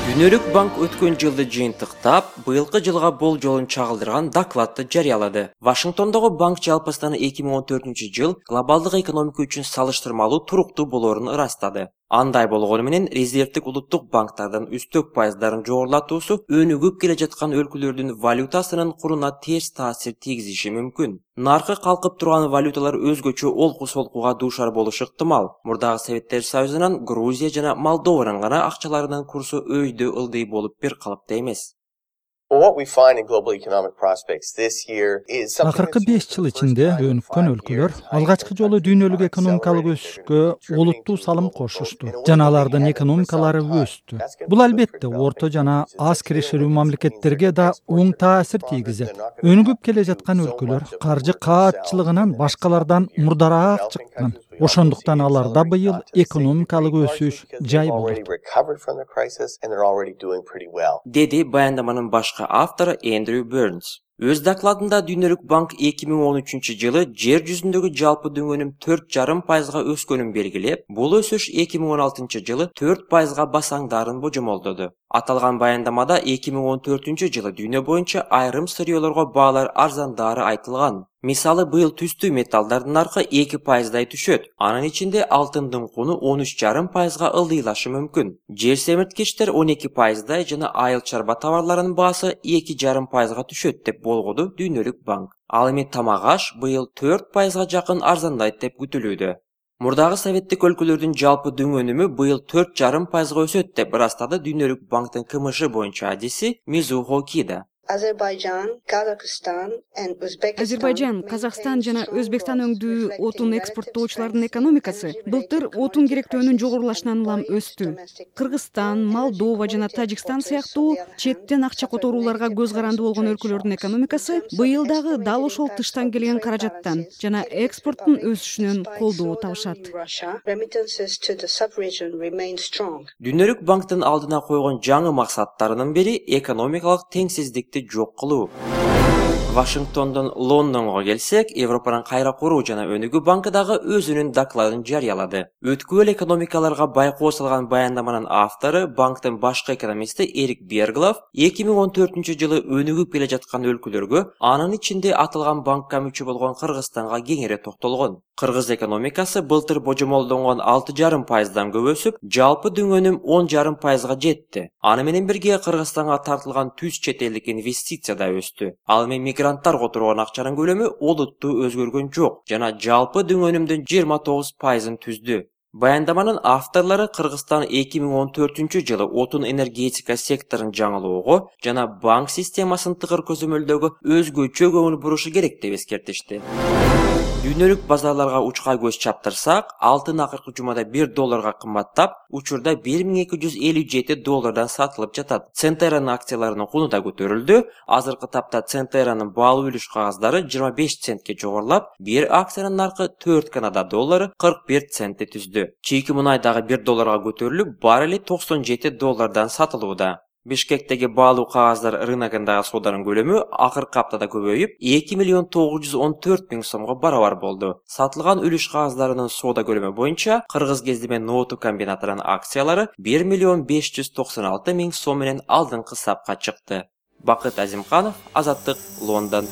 Дүйнөлүк банк өткөн жылды жыйынтыктап, быйылкы жылга болжолун чагылдырган докладты жарыялады. Вашингтондогу банк жалпысынан 2014 жыл глобалдык экономика үчүн салыштырмалуу туруктуу болоорун ырастады. Андай болгону менен резервдик улуттук банктардын үстөк пайыздарын жогорулатуусу өнүгүп келе жаткан өлкөлөрдүн валютасынын куруна терс таасир тийгизиши мүмкүн. Наркы калкып турган валюталар өзгөчө олку-солкуга дуушар болушу ыктымал. Мурдагы Советтер Союзунан Грузия жана Молдованын гана акчаларынын курсу өйдө ылдый болуп бир калыпта эмес. Акыркы 5 жыл ичинде өнүккөн өлкөлөр алгачкы жолу дүйнөлүк экономикалык өсүшкө олуттуу салым кошушту жана алардын экономикалары өстү. Бул албетте орто жана аз кирешелүү мамлекеттерге да оң таасир тийгизет. Өнүгүп келе жаткан өлкөлөр каржы каатчылыгынан башкалардан мурдараак чыккан. Ошондуктан аларда быйыл экономикалык өсүш жай болот. Деди баяндаманын башкы автору Эндрю Бернс. Өз докладында Дүйнөлүк банк 2013 жылы жер жүзүндөгү жалпы дөңөнүм 4,5% өскөнүн белгилеп, бул өсүш 2016 жылы 4%га басаңдарын божомолдоду. Аталган баяндамада 2014 жылы дүйнө боюнча айрым сырьёолорго баалар арзандары айтылган. Мисалы, быйыл түстүү металлдардын наркы 2%дай түшөт. Анын ичинде алтындын куну 13,5%га ылдыйлашы мүмкүн. Жер семирткичтер 12%дай жана айыл чарба товарларынын баасы 2,5%га түшөт деп болгоду Дүйнөлүк банк. Ал эми тамак аш быйыл 4%га жакын арзандайт деп күтүлүүдө. Мурдагы советтик өлкөлөрдүн жалпы дөңөнүмү быйыл 4,5%га өсөт деп ырастады Дүйнөлүк банктын КМШ боюнча адиси Мизухо Кида. Азербайжан, Казакстан жана Өзбекстан өңдүү отун экспорттоочулардын экономикасы былтыр отун керектөөнүн жогорулашынан улам өстү. Кыргызстан, Молдова жана Тажикстан сыяктуу четтен акча которууларга көз каранды болгон өлкөлөрдүн экономикасы быйыл дагы дал ошол тыштан келген каражаттан жана экспорттун өсүшүнөн колдоо табышат. Дүйнөлүк банктын алдына койгон жаңы максаттарынын бири экономикалык теңсиздикти жок кылуу. Вашингтондон Лондонго келсек, Европанын кайра куруу жана өнүгүү банкы дагы өзүнүн докладын жарыялады. Өткүл экономикаларга байкоо салган баяндаманын автору, банктын башкы экономисти Эрик Берглов 2014 жылы өнүгүп келе жаткан өлкөлөргө, анын ичинде аталган банкка мүчө болгон Кыргызстанга кеңири токтолгон. Кыргыз экономикасы былтыр божомолдонгон 6,5%дан көп өсүп, жалпы дөңөнүм 10,5%га жетти. Аны менен бирге Кыргызстанга тартылган түз чет элдик инвестиция да өстү. Ал эми мигранттар которгон акчанын көлөмү олуттуу өзгөргөн жок жана жалпы дөңөнүмдүн 29%ын түздү. Баяндаманын авторлору Кыргызстан 2014 жылы отун энергетика секторун жаңылоого жана банк системасын тыгыр көзөмөлдөгө өзгөчө көңүл бурушу керек деп эскертишти. Дүйнөлүк базарларга учкай көз чаптырсак, алтын акыркы жумада $1 кымбаттап, учурда $1,257 сатылып жатат. Центеранын акцияларынын куну да көтөрүлдү. Азыркы тапта Центеранын баалуу үлүш кагаздары 25 центке жогорулап, бир акциянын наркы 4 Канада доллары 41 центти түздү. Чийки мунай дагы $1 көтөрүлүп, баррели $97 сатылууда. Бишкектеги баалуу кагаздар рыногундагы сооданын көлөмү акыркы аптада көбөйүп, 2,914,000 сомго барабар болду. Сатылган үлүш кагаздарынын соода көлөмү боюнча Кыргыз Кездеме ноуту комбинатынын акциялары 1,596,000 сом менен алдыңкы сапка чыкты. Бакыт Азимканов, Азаттык, Лондон.